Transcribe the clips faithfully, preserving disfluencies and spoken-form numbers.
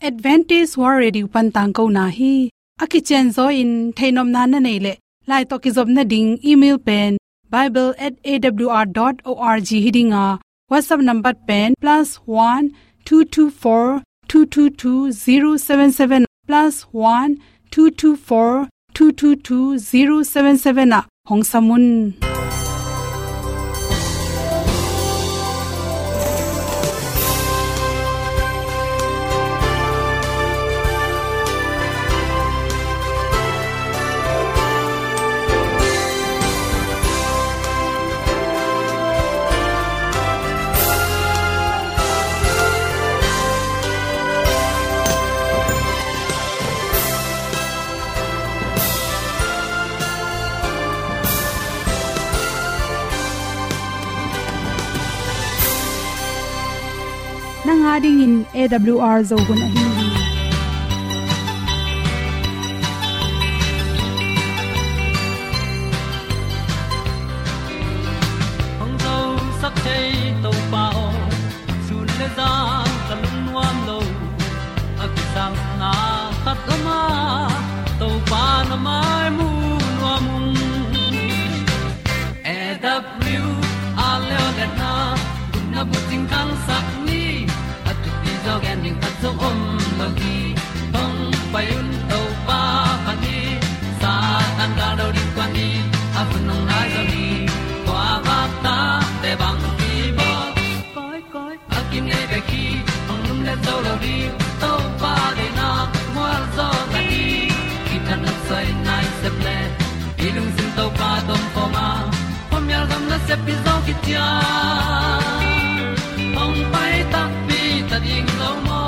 Adventist World Radio pan tangkona hi. A kicianzaw in theihnopna na neih leh, lai tawh kizopna ding email pen bible at A W R dot org hi ding a, WhatsApp number pen plus one two two four two two two zero seven seven, plus one two two four two two two zero seven seven ah hong sam un. Nang a dingin A W R Zo hun ahi hi. Hong zosak thei Topa aw, sun le zan ka lungnuam lo. A kisapna khat om a, Topa na mai mu nuam ung. A W R Leolehna, gupna bucing khangsak ni, a thupi zaw gen ding khat zong om lo hi. Hong pai un Topa phat ni, Satan gal do ding kuan ni, a hun hong nai zaw hi. Kua vak tate bang kibawl, koi koi a kinei bek hi, hong lumlet zo lo ding. Topa deihna mual zaw ta hi. Kithanuam soi nai sep le, i lungsim Topa tawh om khawm a, khuamial gam nasep hi zaw khit ciang, hong pai takpi ta ding lo maw?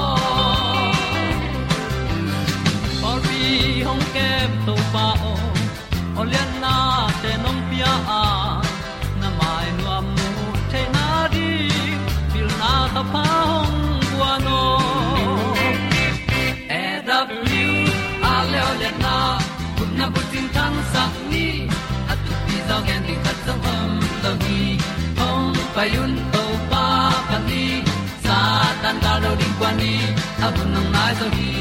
Pawlpi hong kem Topa aw, awlianna te nong pia a, na mai nuam mu theihna ding pilna thapha hong guan aw. A W R Leolehna, gupna bucing khangsak ni, a thupi zaw gen ding khat zong om lo hi. Hong pai un Topa phat ni, Satan gal do ding kuan ni, a hun hong nai zaw hi.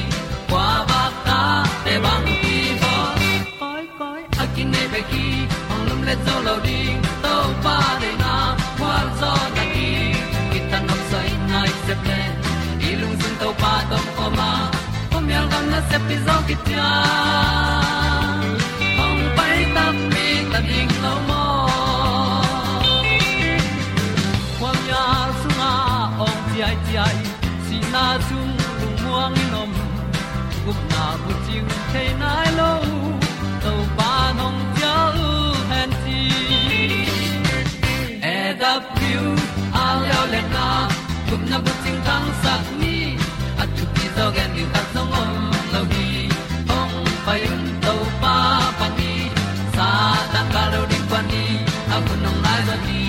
Kua vak tate bang kibawl, koi koi a kinei bek hi, hong lumlet zo lo ding. Topa deihna mual zaw ta hi. Kithanuam soi nai sep le, i lungsim Topa tawh om khawm a, khuamial gam nasep hi zaw khit ciang, hong pai takpi ta ding lo maw? Khuamial sungah awng ciaiciai, sihna sung lungmuang in om, gupna bucing thei nai lo, Topa nong cial hen ci. A W R Leolehna, gupna bucing khangsak ni, a thupi zaw gen ding khat zong om lo hi. Hong pai un Topa phat ni, Satan gal do ding kuan ni, a hun hong nai zaw hi.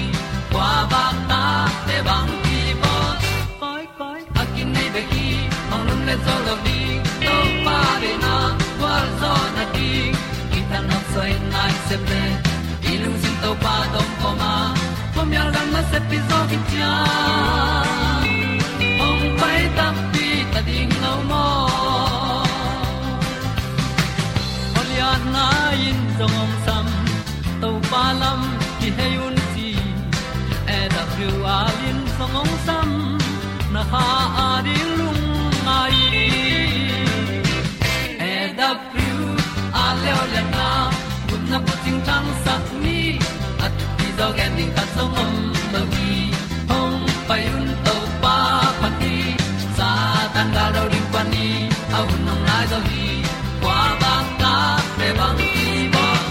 Kua vak tate bang kibawl, koi koi a kinei bek hi, hong lumlet zo lo ding. Topa deihna gualzawhna ding, kithanuam soi nai sep le, i lungsim Topa tawh om khawm a, khuamial gam nasep hi zaw khit ciang, hong pai takpi ta ding lo maw? Awlianna in zong hong sam, Topa lam kihei un ci. A W R in zong hong sam, na kha a ding lungngai hi. A W R Leolehna, gupna bucing khangsak ni, a thupi zaw gen ding khat zong om lo hi. Hong pai un Topa phat ni, Satan gal do ding kuan ni, a hun hong nai zaw hi. Kua vak tate bang kibawl,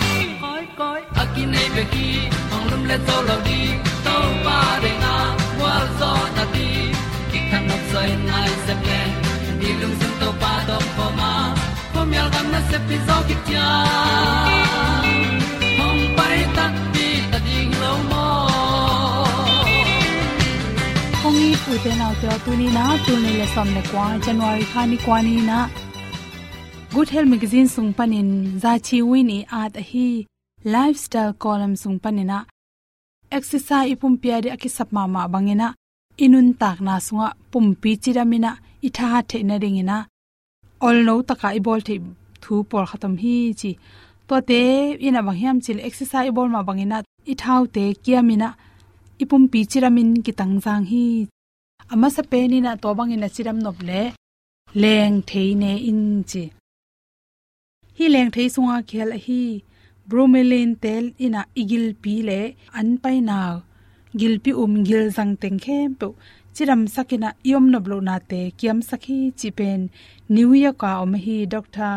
koi koi a kinei bek hi, hong lumlet zo lo ding. Topa deihna gualzawhna ding, kithanuam soi nai sep le, i lungsim Topa tawh om khawm a, khuamial gam nasep hi zaw khit ciang, hong pai takpi ta ding lo maw? Hong it ute naute aw, tuni in ah, tul nih le sawm le kua, January kha ni kua ni in ah, Good Health Magazine sung panin Za Chi Win i at ahi Lifestyle column sung panin ah, exercise i pumpi a ding a kisap mahmah bangin ah, i nuntakna sungah pumpi cidam in ah, i thahat theih nadingin ah olno taka i bawl theih thu pawlkhat om hi ci. Tuate in ah bang hiam cih leh exercise i bawl mah bangin ah i thaute kiam in ah i pumpi cidamin kitangzang hi. A masa pen in ah tua bangin a cidam nop leh lengthei ne in ci. Hih lengthei sunga kihel ahi bromelain te in ah i gilpi leh an paina, gilpi um, gilzang teng khempeuh cidamsak in ah i om nop lohnate kiamsak hi cih pen New York a om ahi Doctor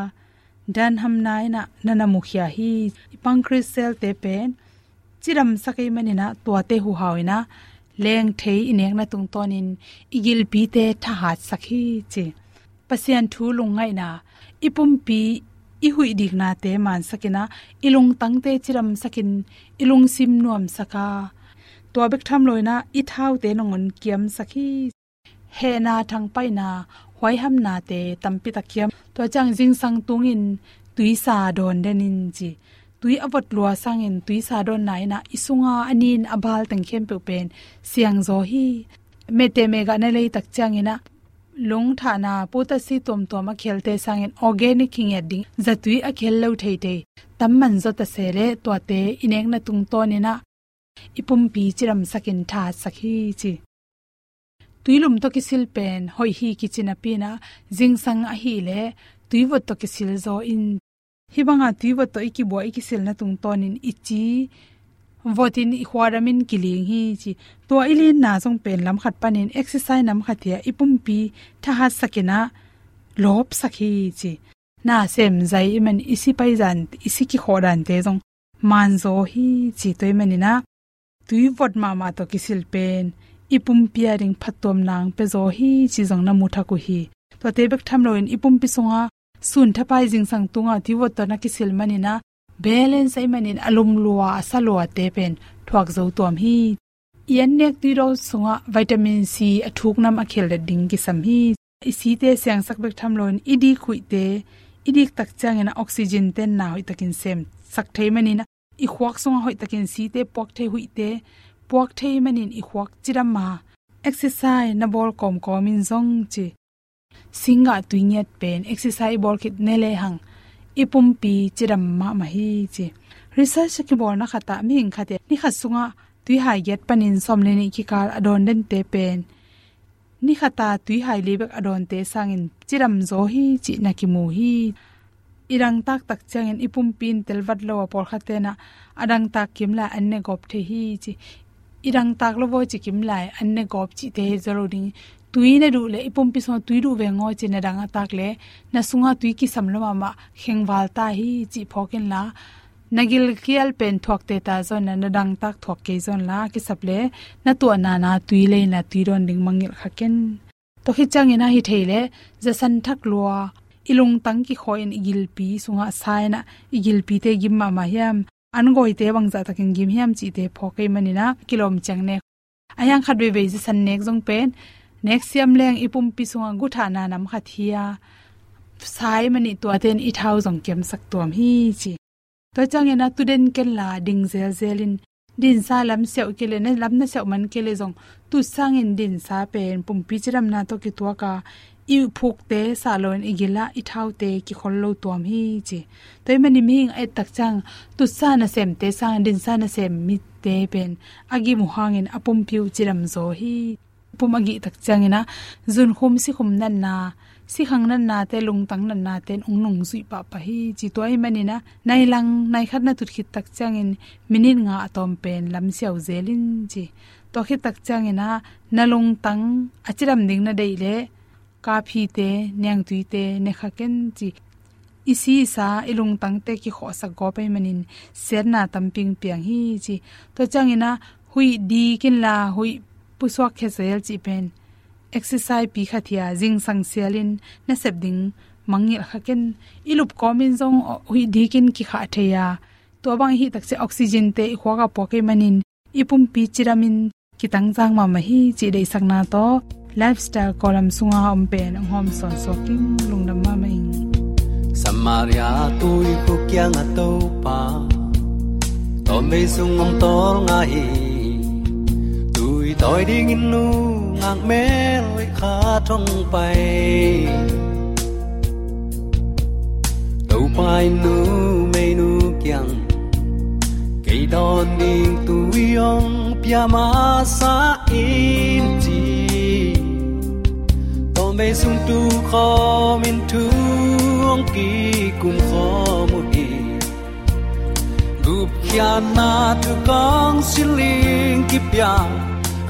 Dan Hamner in ah na na mukhia hi. I pancreas cell te pen cidamsak ahih manin ah tuate huhau in ah lengthei i nekna tungtawnin i gilpite thahatsak hi ci. Pasian thu lungngaihna, i pumpi i huih diknate mansak in ah i lungtangte cidamsak in i lungsim nuamsak a, tua bek tham lo in ah i thaute nangawn kiamsak hi. Hehna, thangpaihna, huaihamnate tampi tak kiam. Tua ciang zingsang tungin tuisa dawn den in ci. Tui a vot lua sangin tuisa dawnna in ah i sunga a nin a bal teng khempeuh pen siangzaw hi. Mehte mehgahna lei tak ciangin ah lungthahna, potassium tuamtuam a kihelte sangin organic kingiat ding zatui a kihel lo theithei tam man zaw ta se leh tuate i nekna tungtawnin ah i pumpi cidamsak in thahatsak hi ci. Tuilum tawh kisil pen hoih hi kici napi in ah zingsang ahih leh tuivot tawh kisil zaw in. Hih banga tuivot tawh i kibuak i kisilna tungtawnin i ci votin i khuadamin kiling hi ci. Tua i linna zong pen lamkhat panin exercise namkhat hi a i pumpi thahatsak in ah lawpsak hi ci. Na sem zai ahih manin i si pai dan, i si kikhawh dante zong manzaw hi ci. Tua ahih manin ah tuivot mahmah tawh kisil pen i pumpi ading phattuamna pia zaw hi ci zong na mu thak uh hi. Tuate bek tham loin i pumpi sunga sun thapai zingsang tunga tuivot tawh na kisil manin ah balance ahih manin a lum lua, a sa luate pen thuak zo tuam hi. I an nek tuidawn sungah vitamin C a thuknam a kheldet ding kisam hi. I site siangsak bek tham loin i dik huihte, i dik tak ciangin ah oxygen tenna hoih takin semsak thei manin ah i khuak sungah hoih takin site puak thei, huihte puak thei manin i khuak cidam a, exercise na bawl kawmkawmin zong ci. Singgah tui ngiat pen exercise i bawl khit ne lehang i pumpi cidam mahmah hi ci. Research a kibawlna khatah mihing khat in ni khat sungah tuihai giat panin sawm le nih kikal a dawn dente pen ni khata tuihai li bek a dawnte sangin cidam zaw hi cih na kimu hi. I dangtak tak ciangin i pumpi in telvat lo a, pawlkhat tenah a dangtak kimlai an ne gawp thei hi ci. I dangtak lo vaw ci kimlai an ne gawp cihte hi zaw lo ding. Tui na duh le i pumpi sungah tui duh veng aw ci na dang a tak le na sungah tui kisam lo mahmah khengval ta hi cih phawk inla, na gilkial pen thuak teta zaw inla, na dangtak thuak kei zaw inla, kisap le na tuahna na tui lei inla tui dawn ding mangngilh kha ken. Tua khit ciangin ah hi thei leh zasan thak lua, i lungtang kikhawh in i gilpi sungah sa inah i gilpite gim mahmah hiam, an gawite bangzah takin gim hiam cihte phawk ahih manin ah kilawm ciang nek. A hiang khat veivei zasan nek zong pen nek siam leng i pumpi sungah guthahna nam khat hi a, sa ahih manin tuate in i thau zong kiamsak tuam hi ci. Tua ciangin ah tu den kenla ding zelzel in, dinsa lam siauh kei leh, na lam na siauh man kei leh zong tutsangin dinsa pen pumpi cidamna tawh kituak a, i phukte sah loin i gil ah i thaute kikhol lo tuam hi ci. Tua ahih manin mihing a et tak ciang tutsa nasemte sangin dinsa nasem mite pen a gim uh hangin a pumpi uh cidam zaw hi. Pum a gih tak ciangin ah zunkhum sikhum natna, sikhang natnate, lungtang natnate in hong nungzuih pahpah hi ci. Tua ahih manin ah nai lang nai khat na tut khit tak ciangin minit nga a tawm pen lam siauh zel in ci. Tua khit tak ciangin ah na lungtang a cidam ding na deih leh kaphite, niangtuite ne kha ken ci. I si i sa, i lungtangte kikhawhsak gawp ahih manin siatna tampi hong piang hi ci. Tua ciangin ah huih dik inla huih pusuak khia zel cih pen exercise pi khat hi a, zingsang sialin na sep ding mangngilh kha ken. I lup kawmin zong huih dikin kikhah thei a, tua bang i hih tak ciang oxygente i khuak ah puak ahih manin i pumpi cidamin kitangzang mahmah hi cih deihsakna tawh Lifestyle column sunga om pen hong hawm sawnsuak ing. Lungdam mahmah ing. Samaria tuikhu kiangah Topa, tawmvei sung hong tawlnga hi. Tui tawi dingin nung Ak mel khat hong pai. Topa in numeinu kiang kei dawn ding tui hong pia masa in ci. Tawmvei sung tu khawm in thu hong kikum khawm uh hi. Gupkhiatna thu kong siling kipia,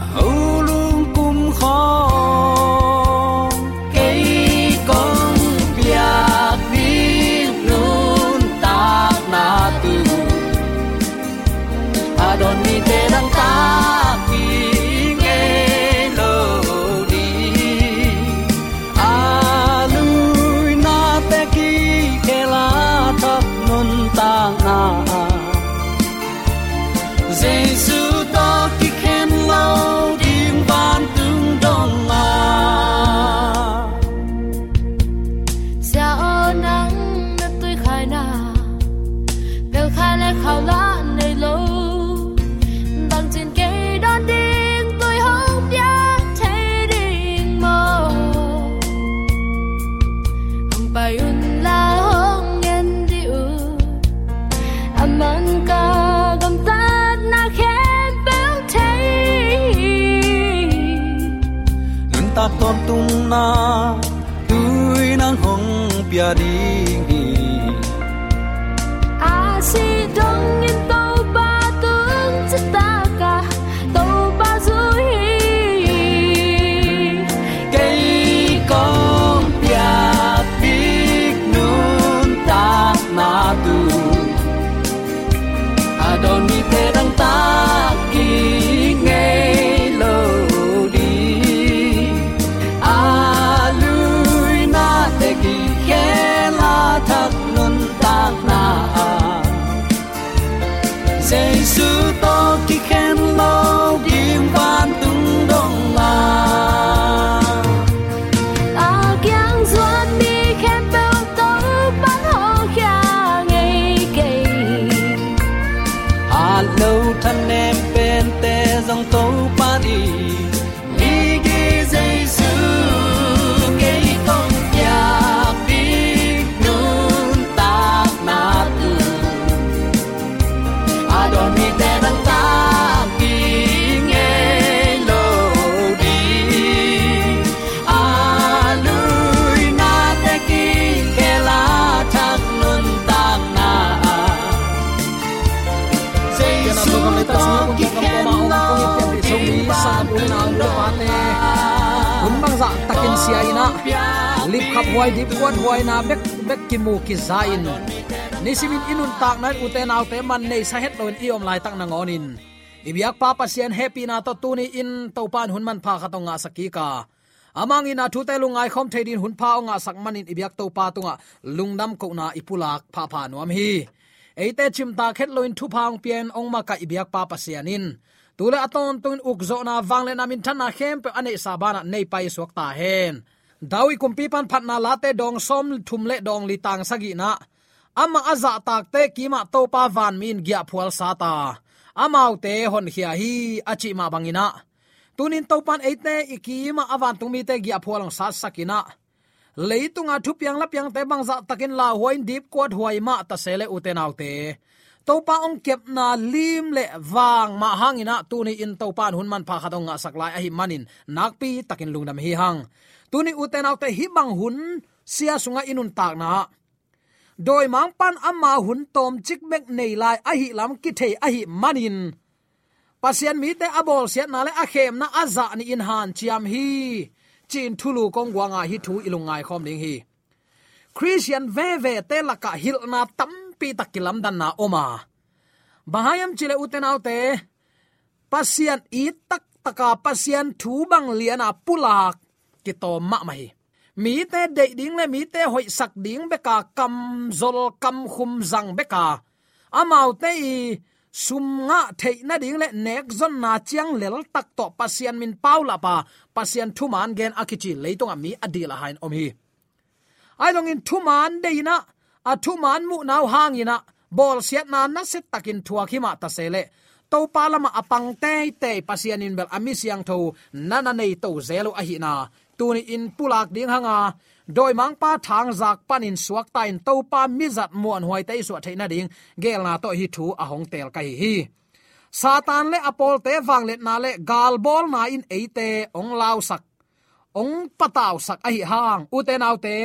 a ho lungkum khawng. Kei kong piak ding nuntakna tu, a dawn mite dang tak ding ngei lo ding. A luina te kikhel a thak nuntakna, Jesu tawh kikhen lo ding vantung dong a. Sia aw, nang na tuikhai na, pelkhai le khau lah nei lo. Bangcin kei dawn ding tui hong piak thei ding maw? Hong pai un la, hong ngen dih un. A man ka gamtatna khempeuh thei. Nuntak tawntungna tui nang hong pia ding hi. A sih dongin Topa tung citak a, Topa zui hi. Kei kong piak ding nuntakna tu, a dawn mite dang tak ding ngei lo ding. A luina te kikhel a thak nuntakna, Jesu tawh kikhen lo ding vantung dong a. A kiang zuan mi khempeuh Topa'n hawlkhia ngei kei. Hat lo thanem pente zong Topa in migi. Jesu, kei kong piak ding nuntakna tu, a dawn mite dang tak ding ngei lo ding. A luina te kikhel a thak nuntakna, Jesu tawh kikhen lo ding vantung dong a. Hun bangzah takin sia in ah, lipkhap huai, dipkuat huaina bek bek kimu kiza in, nisimin i nuntakna in ute naute man neisa het loin i om laitak nangawnin, i biakpa Pasian hehpihna tawh tuni in Topa in hun manpha khat hong ngahsak kik a, a mangngilhna thute lungngai khawm thei dingin hun pha hong ngahsak manin i biak Topa tungah lungdam kohna i pulak phapha nuam hi. Eite cimtak het loin thupha hong pia-in hong makaih i biakpa Pasian in tu le a tawntungin ukzawhna, vangliatna, minthanna khempeuh a neihsa banah nei paisuak ta hen. David kumpipa'n Phatna Late dawng sawmthum le dawng li, tang sagihna ah, amah a zahtakte kimah Topa vanmi in giahphual sat a, amaute honkhia hi, a cih mah bangin ah, tunin Topa'n eite i kimah a vantung mite giahphual hong satsak in ah, leitunga thupiang lapiangte bangzah takin lauhuai in dipkuat huai mah ta se leh ute naute, Topa hong kepna lim le vang mah hangin ah tuni in Topa in hun manpha khat hong ngahsak lai ahih manin nakpi takin lungdam hi hang. Tuni ute naute, hih bang hun sia sungah i nuntakna ah, dawimangpa'n ama hun tawmcik bek nei lai ahih lam kithei ahih manin, Pasian mite a bawlsiatna le a khemna a zah nihin hanciam hi, ci-in thulu kong guang a, hih thu i lungngai khawm ding hi. Khristian vevete lakah hilhna tampi tak kilamdanna om a, bang hang hiam cih leh ute naute, Pasian it taktak a, Pasian thu bang lian a pulak kitawm mahmah hi. Mite deih ding le mite hoihsak ding bek a kamzol kamkhum zang bek a, amaute i sum ngah theih nading le nekzonna ciang leltak tawh Pasian min paulap a, Pasian thuman gen a kici leitungah mi a dil a hai in om hi. Ahi zongin thuman deih in ah, a thuman muhna uh hangin ah, bawlsiatna nasia takin thuak hi mah ta se leh, Topa lamah a pang teitei Pasian in bel a mi siangtho na na nei to zel uh ahihna tuni in pulak ding hanga, dawimangpa thangzak panin suakta in Topa mizat muanhuaite i suah theih nading geelna tawh hih thu a hong teel ka hi hi. Satan le a pawlte vangliatna le galbawlna in eite hong lausak, hong patausak ahi hang, ute naute,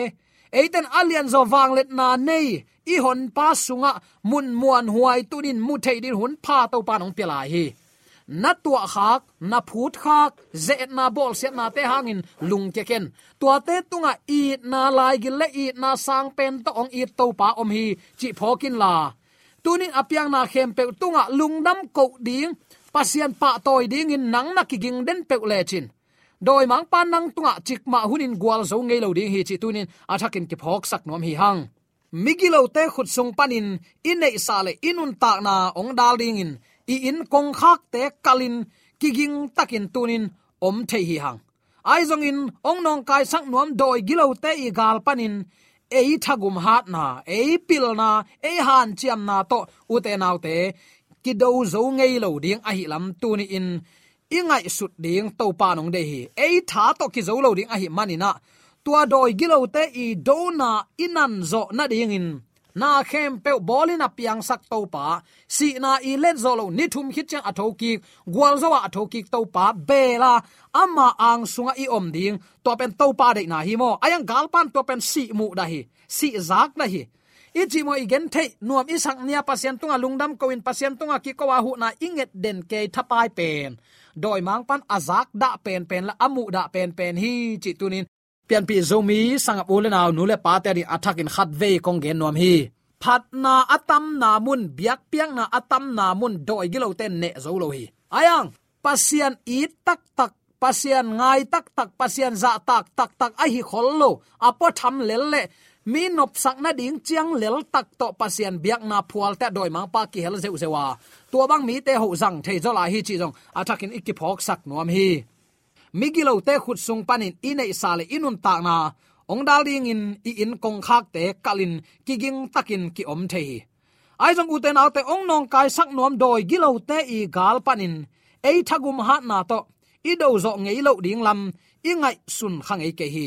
eiten a lianzaw vangliatna nei i honpa sungah mun muanhuai tunin mu thei din hun pha Topan hong pia lai hi. Na tuahkhak, na phutkhak, ze-etna bawlsiatnate hangin lungkia ken. Tuate tungah itna laigil le itna sangpen tawh hong it Topa om hi cih phawk inla, tunin a piangna khempeuh tungah lungdam koh ding, Pasian pahtawi dingin nang na kiging den peuh lecin, dawimangpa nang tungah cikmah hunin gualzo ngei lo ding hi cih tunin a thakin kiphawksak nuam hi hang. Migilote khut sung panin i neihsa le i nuntakna hong dal dingin i inn kongkhakte kalin kiging takin tunin om thei hi hang. Ahi zongin hong nawngkaisak nuam dawi gilote i gal panin ei thagum hatna, ei pilna, ei hanciamna tawh, ute naute, kido zo ngei lo ding ahi lam tuni in i ngaihsut ding Topa nong deih hi. Ei tha tawh kizo lo ding ahi maninah, tua dawi gilote i dona i nanzawh nadingin na khempeuh bawlin a piangsak Topa, sihna i letzawh loh, ni thum khit ciang a thokik, gualzo-a a thokik Topa bela ama ang sungah i om ding, tua pen Topa deihna hi maw? A iang galpan tua pen sih muhdah hi, sih zakdah hi. I cih maw, i gentheih nuam i sak nia Pasian tungah lungdam ko-in Pasian tungah kiko-a huhna i nget den kei thapai pen dawimangpan a zakdah penpen le a muhdah penpen hi cih tunin Pianpih Zomi sangap u le nau, nu le pate ading a thakin khatvei kong gen nuam hi. Phatna a tamna mun, biakpiakna a tamna mun dawi gilote neh zo lo hi. A iang Pasian it taktak, Pasian ngai taktak, Pasian zahtak taktak ahi khol lo, a puatham lel le mi nopsak nading ciang lel tak tawh Pasian biakna phualte ah dawimangpa kihel zeuhzeuh a, tua bang mite hoh zang thei zaw lai hi cih zong a thakin i kiphawksak nuam hi. Migilote khut sung panin i neihsa le i nuntakna hong dal dingin i inn kongkhakte kalin kiging takin ki-om thei hi. Ahi zong ute naute, hong nawngkaisak nuam dawi gilote i gal panin ei thagum hatna tawh i dozawh ngei loh ding lam i ngaihsun kha ngei kei hi.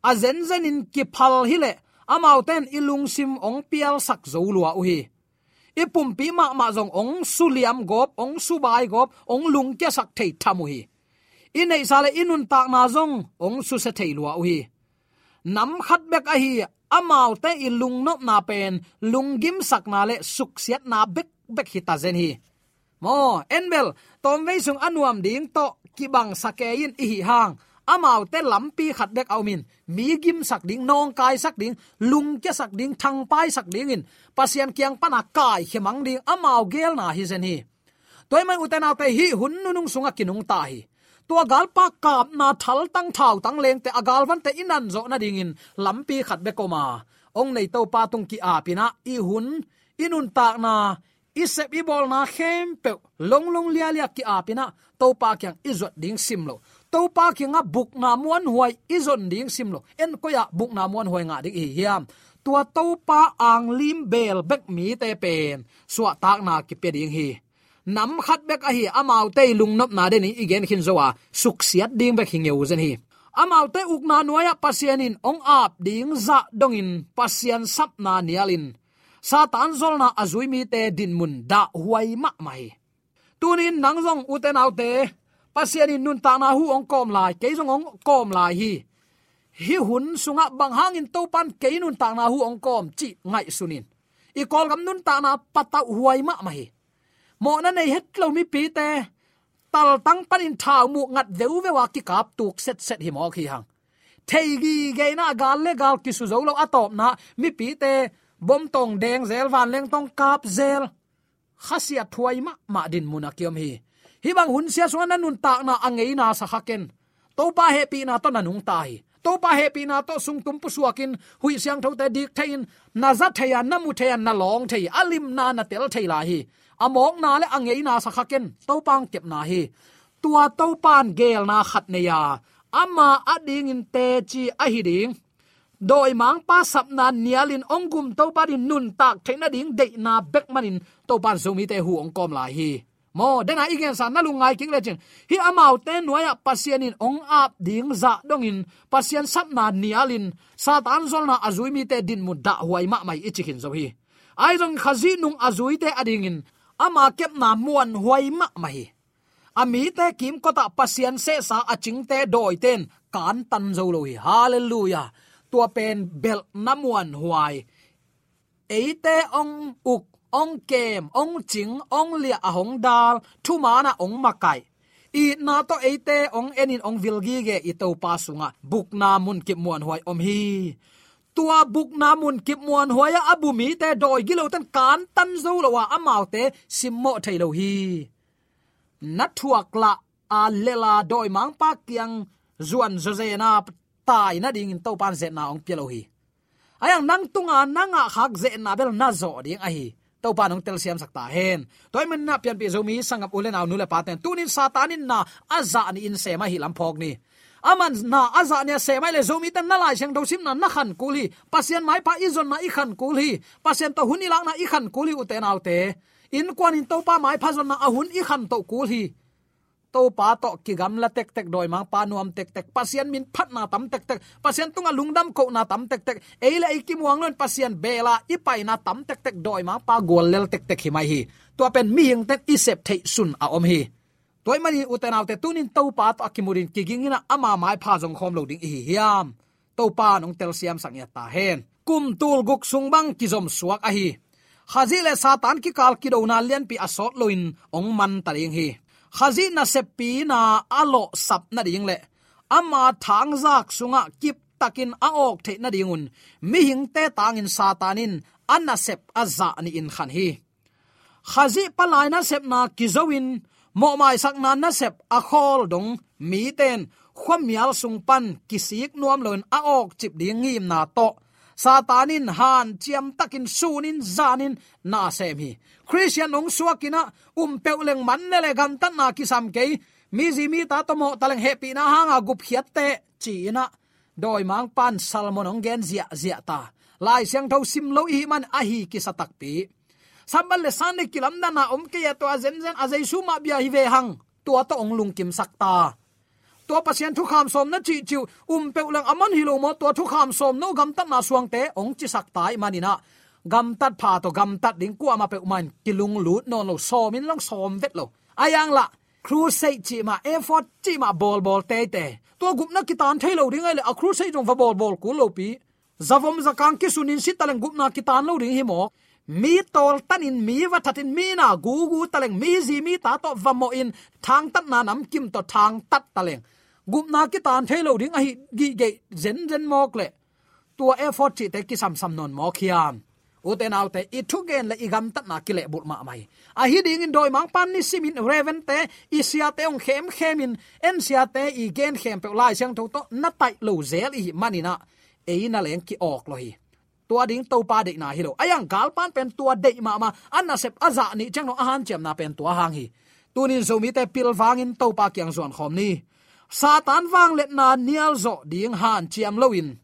A zenzenin kiphal hileh amaute in i lungsim hong pialsak zo lua uh hi. I pumpi mahmah zong hong suliam gawp, hong subai gawp, hong lungkiasak thei tham uh hi. I neihsa le i nuntakna zong hong susia thei lua uh hi. Nam khat bek ahi amaute i lungnopna pen lunggimsakna le suksiatna bekbek hi ta zen hi. Maw, en bel, tawmvei sung a nuam ding tawh kibangsa kei in i hih hang, amaute lampi khat bek a om in, mi gimsak ding, nawngkaisak ding, lungkiasak ding, thangpaisak dingin Pasian kiang pana kaikhia mang ding amau geelna hi zen hi. Tua ahih manin ute naute, hih hun nunung sungah kinungta hi. Tua galpa kapna thaltang thautang lengte, a galvante i nanzawh nadingin lampi khat bek om a, hong nei Topa tung ki-apin ah i hun, i nuntakna, i sep i bawlna khempeuh longlong lialia ki-apin ah Topa kiang i zuat ding sim lo. Topa kiangah bukna muanhuai i zon ding sim lo. En koi-ah bukna muanhuai ngah ding i hi hiam? Tua Topa anglim beel bek mite pen suahtakna kipia ding hi. Nam khat bek ahi amaute i lungnopna denin i gen khin zo a, suksiat ding bek hi ngeu zen hi. Amaute ukna nuai-ah Pasian in hong ap ding zah dongin Pasian sapna nialin Satan zolna a zui mite dinmun dahhuai mahmah hi. Tunin nang zong ute naute, Pasian in nuntakna hu hong kawm lai, kei zong hong kawm lai hi. Hih hun sungah bang hangin Topan kei nuntakna hu hong kawm cih ngaihsun in. I Kawlgam nuntakna patauhhuai mahmah hi. Mawhna nei het lo mipite, taltang panin thau muh ngat veuveu a kikap tuk setset hi mawk hi hang. Thei gigena, gal le gal kisu zo lo, a tawpna mipite bom tawng deng zel, vanleng tawng kap zel. Khasiathuai mahmah dinmun a kiom hi. Hih bang hun sia sungah na nuntakna a ngeina sa kha ken. Topa hehpihna tawh na nungta hi. Topa hehpihna tawh sungtum pusuakin, huih siangthote dik theiin, na za thei a, na mu thei a, na lawng thei hi. A limna na tel thei lai hi. A mawkna le a ngeina sa kha ken. Topa hong kepna hi. Tua Topan geelna khat nei a, ama adingin teci ahi ding, dawimangpa sapna nialin hong gum Topa din nuntak theih nading deihna bek manin Topan Zomite hu hong kawm lai hi. Maw, dena i gensa na lungngai kik lecin, hih amaute nuai-ah Pasian in hong ap ding zah dongin Pasian sapna nialin Satan zolna a zui mite dinmun dahhuai mahmah hi i ci khin zo hi. Ahi zongin Khazih nung a zuite adingin ama kepna muanhuai mahmah hi. A mite kimkotah Pasian sehsa a cingte dawite in kantan zo lo hi. Halleluiah. Tua pen belhna muanhuai. Eite hong uk, hong kem, hong cing, hong liah, a hong dal, thumaanah hong makaih, itna tawh eite hong enin hong vil gige i Topa sungah bukna munkip muanhuai om hi. Tua bukna munkip muanhuai-ah a bu mite dawi giloten kantan zo lo a, amaute simmawh thei lo hi. Na thuak lah a lel a dawimangpa kiang zuan zawzen a tai nadingin Topa in zetna hong pia lo hi. Ahi hang nang tunga na ngahkhak zetna bel na zawh ding ahi. Topa in hong telsiamsak ta hen. Tua ahih manin ah pianpih Zomi sanggam u le nau, nu le pate'n, tunin Satan in na a zah nih in sem ahih lam phawk ni. Aman na a zah nih a sem ahih leh Zomite na Lai Siangtho simna na khan kul hi. Pasian maipha i zonna i khan kul hi. Pasian tawh hun i lakna i khan kul hi, ute naute. Innkuanin Topa maipha zonna a hun i khan toh kul hi. Topa tawh kigamla tektek, dawimangpa nuam tektek, Pasian min phatna tam tektek, Pasian tungah lungdam kohna tam tektek, ei le ei kimuang loin Pasian bela i paina tam tektek, dawimangpa guallel tektek hi mai hi. Tua pen mihingte'n i sep theih sun a om hi. Tua ahih manin ute naute, tunin Topa tawh a kimutin kigingin ah ama maipha zong khawm lo ding i hi hiam? Topa in hong telsiamsak ngiat ta hen. Kum tul guk sung bang kizom suak ahi. Khazih le Satan kikal kidona lianpi a sawt loin hong man ta ding hi. Khazih naseppina a lawhsap nading le ama thangzak sungah kiptakin a awk theih nadingun mihingte tangin Satan in a nasep a zah nih in khan hi. Khazih palai nasepna kizo in mawhmaisakna nasep a khawl dong mite'n khuamial sung pan kisik nuam loin a awkcip ding ngimna tawh Satan in hanciam takin sunin zanin na sem hi. Khristian hong suakin ah um peuh leng man le le gamtatna kisam kei, mi zi mi ta tawh mawh ta leng hehpihna hanga gupkhiat teh ci-in ah dawimangpa'n sermon hong gen ziahziah ta. Lai Siangtho sim lo i hih man ahi kisa takpi. Sabbath le Sunday kilamdanna om kei a, tua zenzen a Jesu mah bia hi ve hang, tua tawh hong lungkimsak ta. Tua Pasian thukham sawm na cihcih uh um peuh leng a man hi lo maw, tua thukham sawm no gamtatna suangte hong cisak ta ahih manin ah gamtat pha tawh gamtat ding kuamah peuhmah in kilunglut nawn lo, sawmin lang sawm vet lo. Ahi hang lah crusade cih mah, effort cih mah bawlbawl teitei. Tua gupna kitan thei lo ding ahih leh a crusade zong va bawlbawl kul lopi. Zavom zakang kisunin si ta leng gupna kitan lo ding hi mawk. Mi tawltanin, mi va thatin, mi na gugu ta leng, mi zi mi ta tawh va mawhin thangtatna namkim tawh thangtat ta leng gupna kitan thei lo ding ahi gige zenzen mawk leh tua effort cihte kisamsam nawn mawk hiam? Ute naute, i thugen le i gamtatna kilehbulh mahmah hi. Ahi dingin dawimangpa'n nisimin Reverend-te, i siate hong khemkhemin, en siate i gen khempeuh Lai Siangtho tawh na taih lo zel i hih manin ah ei na leng ki-awk lo hi. Tua ding Topa deihna hi lo. Ahi hang galpa'n pen tua deih mahmah, a nasep a zah nih ciang dong a hanciamna pen tua hang hi. Tunin Zomite pilvangin Topa kiang zuankhawm ni. Satan vangliatna nialzawh ding hanciam loin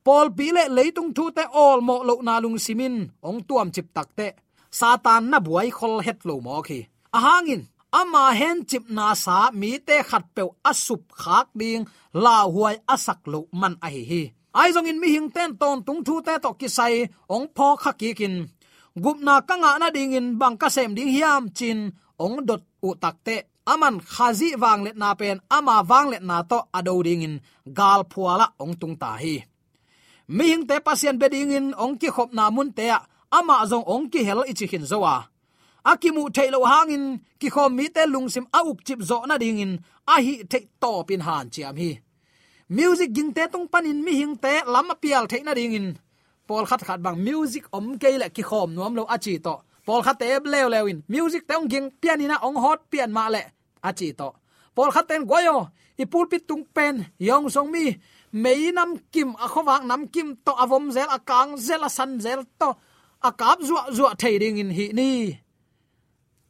pawlpi le leitung thute awlmawh lohna lungsimin hong tuamcip takteh Satan na buaikhol het lo mawk hi. A hangin ama hencipna sa mite khatpeuh a supkhak ding lauhuai a sak loh man ahi hi. Ahi zongin mihingte'n tawntung thute tawh kisai hong phawkkha kikin gupna ka ngah nadingin bang ka sem ding hiam ci-in hong dot uh takteh aman Khazih vangliatna pen ama vangliatna tawh a do dingin galphualah hong tung ta hi. Mihingte Pasian bia dingin hong kikhopna munte ah amah zong hong kihel i ci khin zo a, a kimuh theih loh hangin kikhawm mite lungsim a ukcip zawh nadingin a hih theih tawpin hanciam hi. Music gingte tung panin mihingte lam a pial theih nadingin pawlkhat khat bang music om kei leh kikhawm nuam lo a ci tawh, pawlkhatte leuleu in music-te hong ging pianin ah hong hawt pian mah leh a ci tawh, pawlkhatte'n guai aw, i pulpit tung pen Hong Song mi mei namkim, a khuavak namkim tawh a vom zel, a kang zel, a san zel tawh a kap zuahzuah thei dingin hih ni.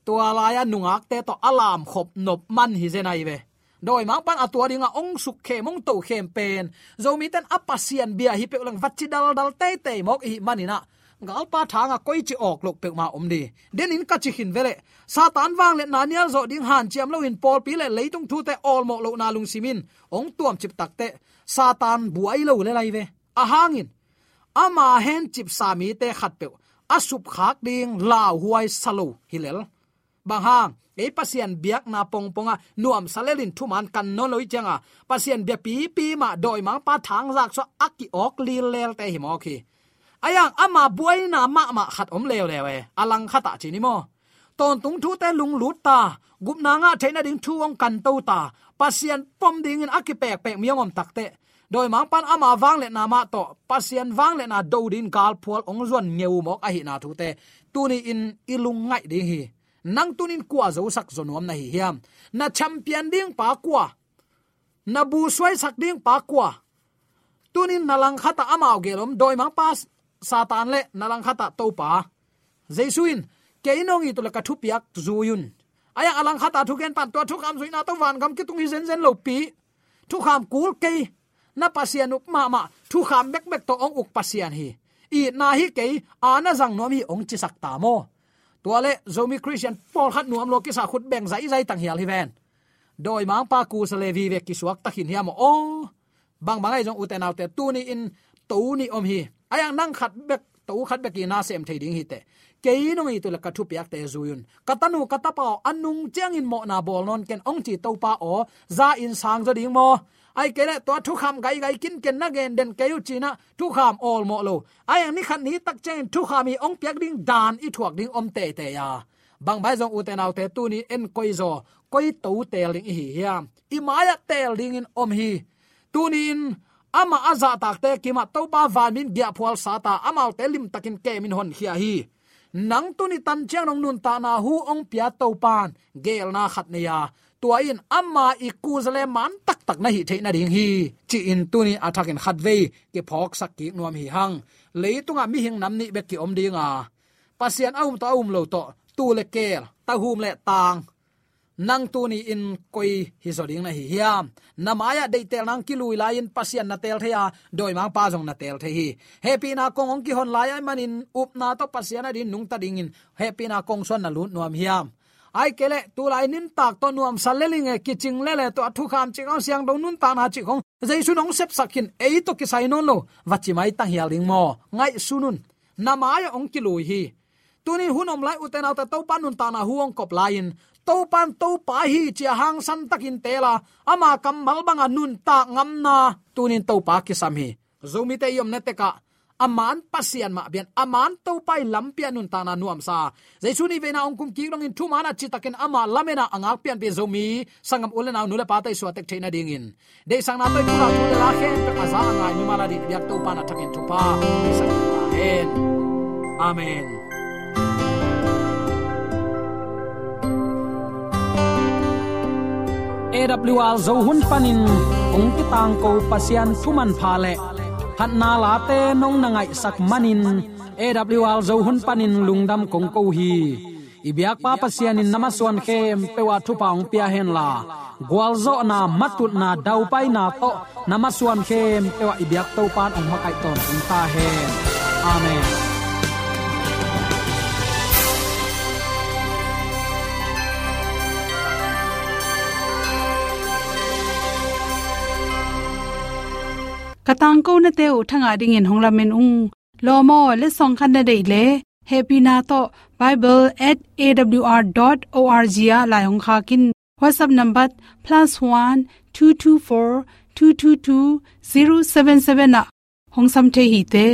Tua lai-a nungakte tawh a lamkhop nop man hi zen ahi ve. Dawimangpa'n a tua dingah hong sukkhem, hong tokhem pen Zomite'n a Pasian bia hi peuh leng va ci daldal teitei mawk i hih manin ah galpa thangah koici awk loh peuhmah om ding. Denin ka ci khin veleh, Satan vangliatna nial zawh ding hanciam loin pawlpi le leitung thute awlmawh lohna lungsimin hong tuamcip takteh, Satan buai lo le lai ve. Ahang in ama hencipsa mite khatpeuh a supkhak ding lauhuai sa lo hi lel. Bang hang, ei Pasian biakna pongpongah nuamsa lelin thuman kan nawn lo i cianga, Pasian biapipi mah dawimangpa thangzak suah a ki-awk lillelte hi mawk hi. Ahi hang ama buaina mahmah khat om leuleu e, a langkhatah ci ni maw. Tawntung thute lunglut ta, gupna ngah theih nading thu hong kanto ta, Pasian pom dingin a kipekpek mi hong om takteh, dawimangpan ama vangliatna mah tawh Pasian vangliatna do dingin galphual hong zuan ngeu mawk ahihna thute tuni-in i lungngaih ding hi. Nang tunin kua zosak zaw nuam na hi hiam? Na champion dingpa kua? Na bu suaisak dingpa kua? Tunin na langkhatah amau gel om, dawimangpa Satan le na langkhatah Topa Jesu in, kei nong it uh leh ka thupiak zui un. Ahi hang a langkhatah thugenpa'n tua thukham zuihna tawh vangam kitung hi zenzen lopi. Thukham kul kei, na Pasian up mahmah, thukham bekbek tawh hong uk Pasian hi. Itna hi kei, a na zang nuam hi hong cisak ta maw. Tua leh Zomi Khristian pawlkhat nuam lua kisa khut beng zaizai tanghial hi ven. Dawimangpa kusa le vive kisuak takhin hiam aw. Aw, bangbang ahi zong ute naute, tuni-in to nih om hi. Ahi hang nang khat bek, to khat bek i na sem thei ding hi teh. Kei nong it uh leh ka thupiakte zui un. Ka tanu ka tapa aw, a nung ciangin mawhna bawl nawn ken hong ci Topa aw, za in sang zaw ding maw. Ahih kei leh tua thukham gaigai kinken na gen den kei uh ci-in ah thukham awlmawh lo. Ahi hang ni khat ni tak ciangin thukham i hong piak ding dan i thuak ding om teitei a. Bangbang ahi zong ute naute, tuni-in koi zaw, koi to teel ding i hi hiam? I mai-ah teel dingin om hi. Tuni-in amah a zahtakte kimah Topa vanmin giahphual sat a, amaute limtakin kemin honkhia hi. Nang tuni tan ciang nong nuntakna hu hong pia Topa'n geelna khat nei a, tua in ama i kusa le man taktak na hih theih nading hi, ci-in tuni a thakin khatvei kiphawksak kik nuam hi hang. Leitungah mihing nam nih bek ki-om ding a, Pasian a um tawh a um lo tawh, tuu le keel, tahum le taang, nang tuni-in koi hi zaw ding na hi hiam? Na mai-ah deihtel nang kilui lai-in Pasian na teel thei a, dawimangpa zong na teel thei hi. Hehpihna kong hong kihon lai ahih manin upna tawh Pasian adingin nungta dingin hehpihna kong suan na lut nuam hiam? Ahih kei leh tulai nuntak tawh nuamsa lel ing e, kicing lel e, tua thukham cih khong, siangtho nuntakna cih khong, Jesu in hong sepsak khin, ei tawh kisai nawn lo, va ci mai tanghial ding maw? Ngaihsun un. Na mai-ah hong kilui hi. Tuni hun om lai ute naute, Topa nuntakna hu hong kop lai-in, Topa'n Topa hi ci-a hangsan takin teel a, ama kammal banga nuntak ngamna tunin Topa kisam hi. Zomite i omna tekah a man Pasian mah bia-in, a man Topa i lampi-ah nuntakna nuamsa, Jesu in veina hong kum kik dongin thuman a citakin ama lamena a ngakpianpih Zomi sanggam u le nau, nu le pate i suahtek theih nadingin, deihsakna tawh i pulak thu le la khempeuh a za a ngai mimal adingin i biak Topa'n a thakin thupha hong pia sak ta hen. Amen. A W R Zo hun panin hong kitangko Pasian thu manpha le phatna late nong na ngaihsak manin, A W R Zo hun panin lungdam kong ko hi. I biakpa Pasian in na masuan khempeuh ah thupha hong pia henla, gualzawhna, matutna, daupaina tawh na masuan khempeuh ah i biak Topa'n hong makaih tawntung ta hen. Amen. Ka tangkonate uh thangah dingin hong lamen ung. Lawm aw, letsong khat na deih leh, hehpihna tawh bible at A W R dot O R G ah lai hong khak in. WhatsApp number plus one two two four two two two zero seven seven ah hong sam thei hi te.